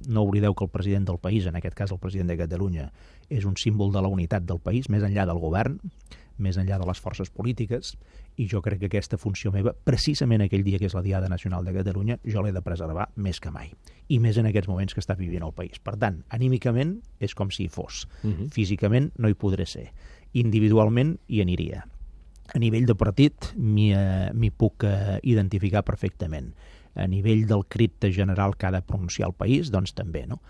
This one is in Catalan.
No oblideu que el president del país, en aquest cas el president de Catalunya, és un símbol de la unitat del país, més enllà del govern, més enllà de les forces polítiques, i jo crec que aquesta funció meva, precisament aquell dia que és la Diada Nacional de Catalunya, jo l'he de preservar més que mai. I més en aquests moments que està vivint el país. Per tant, anímicament és com si hi fos. Físicament no hi podré ser. Individualment hi aniria. A nivell de partit m'hi puc identificar perfectament. A nivell del crit general que ha de pronunciar el país, doncs també, no?